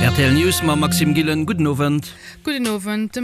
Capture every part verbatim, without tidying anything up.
R T L News mam Maxime Gillen. Gudden Owend. Gudden Owend. De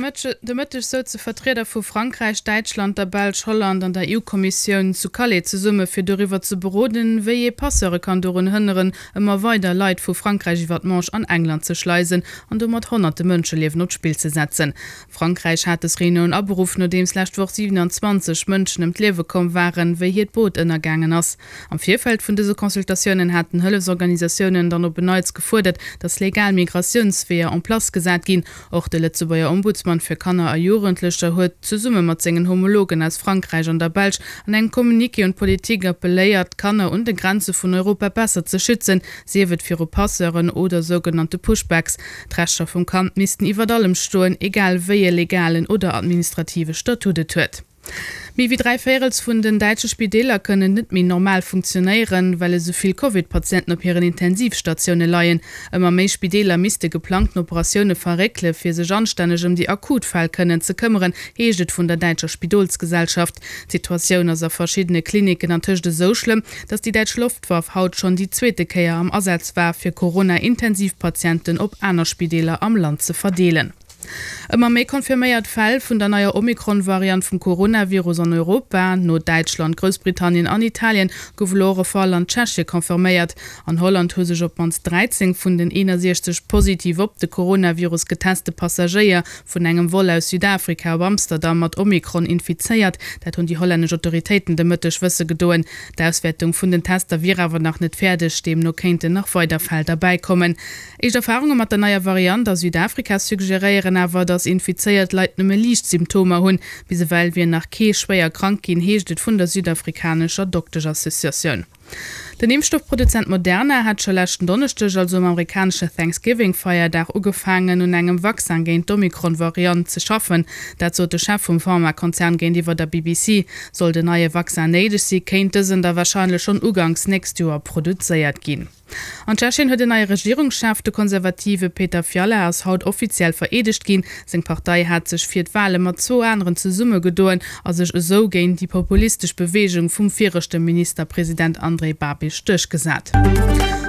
Mëtteg souze Vertrieder vu Frankräich, Däitschland, der Belsch, Holland an der E U-Kommissioun zu Calais zesumme fir doriwwer ze beroden, wéi ee Passeure kann dorun hënneren, ëmmer weider Leit vu Frankräich iwwer d'Manche an England ze schleisen an domat honnerte Mënscheliewen op d'Spill ze setzen. Frankräich hat des Reunioun aberuff, nodeems lescht Woch siewenanzwanzeg Mënschen ëm d'Liewe komm waren, wéi hiert Boot ënnergaangen ass. Am Virfeld vun dëse Consultatiounen haten Hëllefsorganisatiounen dann op en Neits gefuerdert, datt legal Migratiounsweeër en place gesat ginn. Och de Lëtzebuerger Ombudsman fir Kanner a Jugendlecher huet zesumme mat sengen Homologen aus Frankräich an der Belsch an engem Communiqué un d'Politik appelléiert, d'Kanner un de Grenze vun Europa besser ze schützen, sief et viru Passeuren oder sougenannte Pushbacks. D'Rechter vum Kand missten iwwer allem stoen, egal wéi e legalen oder administrative Statut et huet. Méi wéi dräi Véirels vun den däitsche Spideeler kënnen net méi normal funktionéieren, well esou vill Covid-Patienten op hiren Intensivstatioune leien. Ëmmer méi Spideeler misste geplangten Operatioune verréckele fir sech anstänneg ëm déi akut Fäll kënnen ze këmmeren, heescht et vun der däitscher Spidolsgesellschaft. D'Situatioun ass a verschiddene Klinicken antëscht esou schlëmm, datt déi däitsch Loftwaff haut schonn déi zweete Kéier am Asaz war, fir Corona-Intensivpatienten op aner Spideeler am Land ze verdeelen. Ëmmer méi confirméiert Fäll vun der neier Omikron-Variant vum Coronavirus an Europa. No Däitschland, Groussbritannien an Italien gouf elo och e Fall an Tschechie confirméiert. An Holland hu sech op d'mannst dräizéng vun den eenasechzeg positiv op de Coronavirus geteste Passagéier vun engem Vol aus Südafrika op Amsterdam mat Omikron infizéiert. Dat hunn déi hollännesch Autoritéiten de Mëtteg wësse gedoen. D'Auswäertung vun den Tester wier awer nach net fäerdeg, deemno kéinten nach weider Fäll derbäikommen. Éischt Erfarunge mat der neier Variant a Südafrika suggeréieren awer, datt infizéiert Leit nëmme liicht Symptomer hunn. Bis ewell wier nach kee schwéier krank ginn, heescht et vun der südafrikanescher Dokteschassociatioun. Den Impfstoffproduzent Moderna hat scho leschten Donneschdeg, also um amerikanesche Thanksgiving-Feierdag, ugefaangen, un engem Vaccin géint d'Omikron-Variant ze schaffen. Dat sot de Chef vum Pharmakonzern géintiwwer der B B C. Sollt en neie Vaccin néideg sinn, kéint dësen da warscheinlech schonn uganks nächst Joer produzéiert ginn. An Tschechien huet en neie Regierungschef. De Konservative Petr Fiala ass haut offiziell vereedegt ginn. Seng Partei hat sech fir d'Wale mat zwou aneren zesummegedoen a sech esou géint déi populistesch Beweegung vum viregte Ministerpresident Andrej Babiš duerchgesat.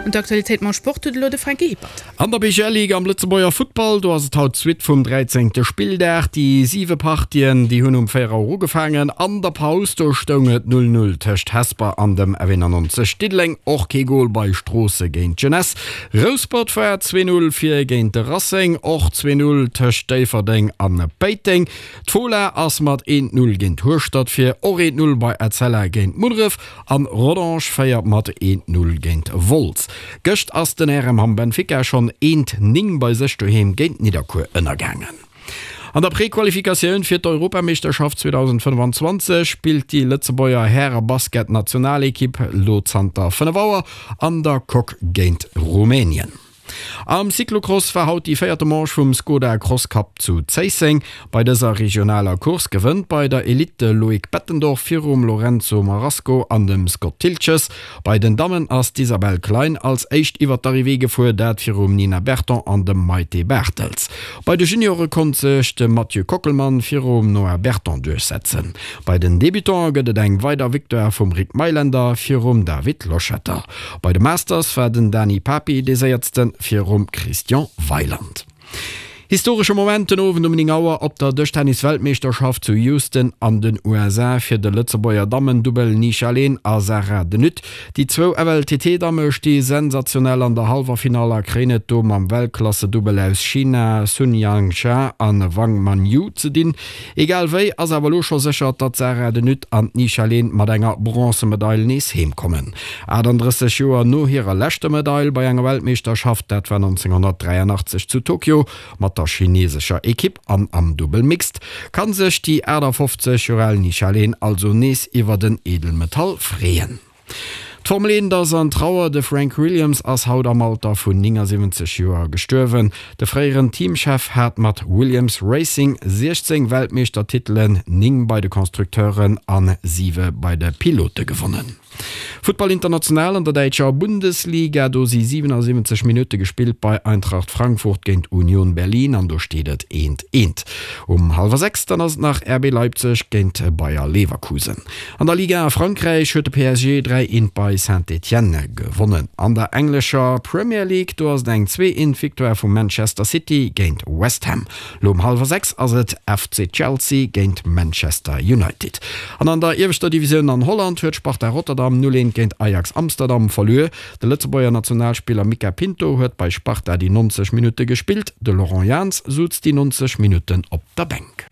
An d'Aktualitéit mam Sport huet elo de Franky Hippert. An der B G L Ligue am Lëtzebuerger Futtball, do ass et haut d'Suite vum dräizéngte. Spilldag. Déi siwe Partien, déi hunn um véier Auer ugefaangen. An der Paus, do stoung et null null tëscht Hesper an dem F eenannonzeg Diddeleng. Och kee Gol bei Stroossen géint d'Jeunesse. Rouspert war zwee null vir géint de Racing. Och zwee null tëscht Déifferdeng an Péiteng. D'Fola ass mat eent null géint Hueschtert vir. Och eent null bei Etzella géint Munneref. An Rodange féiert mat eent null géint Wolz. Gëscht ass den R M Hamm Benfica schonn eent néng bei sech doheem géint Nidderkuer ënnergaangen. An der Prequalifikatioun fir d'Europameeschterschaft zweedausendfënnfanzwanzeg spillt déi Lëtzebuerger Häre-Basket-Nationalekipp lo zanter fënnef Auer an der Coque géint Rumänien. Am Cyclocross war haut déi véierte Manche vum Skoda Cross Cup zu Zéisseng. Bei dëser regionaler Course gewënnt bei der Elite de Loïc Bettendorf virum Lorenzo Marasco an dem Scott Thiltges. Bei den Dammen ass d'Isabelle Klein als éischt iwwer d'Arrivée gefuer, dat virum Nina Berton an dem Maite Bartels. Bei de Juniore konnt sech de Mathieu Kockelmann virum Noah Berton duerchsetzen. Bei den Debutante gëtt et eng weider Victoire vum Rick Meylender virum David Loschetter. Bei de Masters war den Dani Papi dee Séiersten virum Christian Weiland. Historesche Moment den Owend um néng Auer op der Dëschtennis-Weltmeeschterschaft zu Houston an den U S A fir de Lëtzebuerger Dammen-Dubbel Ni Leen a Sarah De Nutte. Déi zwou F L T T-Damme sti sensationell an der Halleffinall a kréien et do mam Weltklasse-Dubbel aus China Sun Yingsha an Wang Manyu ze dinn. Egal wéi ass awer lo scho sécher, datt Sarah De Nutte an Ni Leen mat enger Bronzemedail nees heemkommen. achtandrësseg Joer no hirer leschter Medail bei enger Weltmeeschterschaft, dat war nonzénghonnertdräianachtzeg zu Tokio mat der chinesescher Ekipp an am Dubbel Mixed, kann sech déi aachtafofzeg Joer al Ni Leen also nees iwwer den Edelmetall freeën. D'Formel eent ass an Trauer. De Frank Williams ass haut am Alter vun néngasiwwenzeg Joer gestuerwen. De fréieren Teamchef hat mat Williams Racing siechzéng Weltmeeschtertitelen, néng bei de Konstrukteuren an siwe bei de Pilote gewonnen. Futtball international an der däitscher Bundesliga, do si siwenasiwwenzeg Minutte gespillt bei Eintracht Frankfurt géint Union Berlin an do steet et eent eent. Um hallwer sechs dann ass et nach R B Leipzig géint Bayer Leverkusen. An der Liga a Frankräich huet de P S G dräi eent bei Saint-Étienne gewonnen. An der englescher Premier League, do ass et eng zwee eent Victoire vu Manchester City géint West Ham. Lo um hallwer sechs ass et F C Chelsea géint Manchester United. An an der ieweschter Divisioun an Holland huet Sparta Rotterdam null eent géint Ajax Amsterdam verluer. De Lëtzebuerger Nationalspiller Mica Pinto huet bei Sparta déi nonzeg Minutte gespillt, de Laurent Jans suz déi nonzeg Minutten op der Bänk.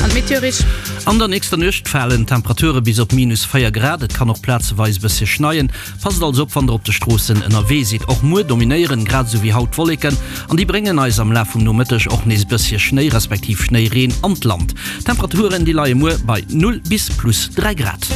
An d'Meteorich. An der nächster Nuecht falen d'Temperature bis op minus véier Grad. Et kann och plazeweis e bëssche schneien. Passt also op, wann der op de Stroossen ënnerwee sidd. Och muer dominéieren grad esou wéi haut d'Wolleken an déi bréngen eis am Laf vum Nomëtteg och nees e bëssche Schnéi respektiv Schnéireen an d'Land. D'Temperaturen déi leie muer bei null bis plus dräi Grad.